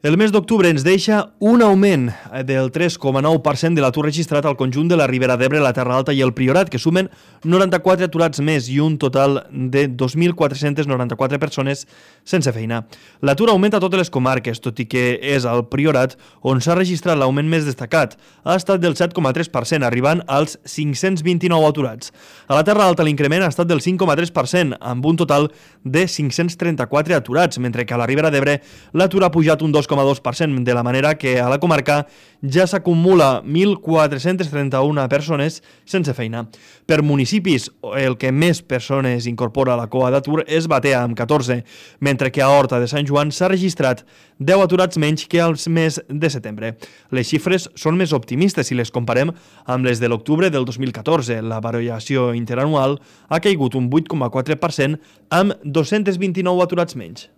El mes d'octubre ens deixa un augment del 3,9% de l'atur registrat al conjunt de la Ribera d'Ebre, la Terra Alta i el Priorat, que sumen 94 aturats més i un total de 2.494 persones sense feina. L'atur augmenta a totes les comarques, tot i que és al Priorat on s'ha registrat l'augment més destacat. Ha estat del 7,3%, arribant als 529 aturats. A la Terra Alta l'increment ha estat del 5,3%, amb un total de 534 aturats, mentre que a la Ribera d'Ebre l'atur ha pujat un 2,2%, de la manera que a la comarca ja s'acumula 1.431 persones sense feina. Per municipis, el que més persones incorpora a la cua d'atur és Batea, amb 14, mentre que a Horta de Sant Joan s'ha registrat 10 aturats menys que al mes de setembre. Les xifres són més optimistes si les comparem amb les de l'octubre del 2014. La variació interanual ha caigut un 8,4% amb 229 aturats menys.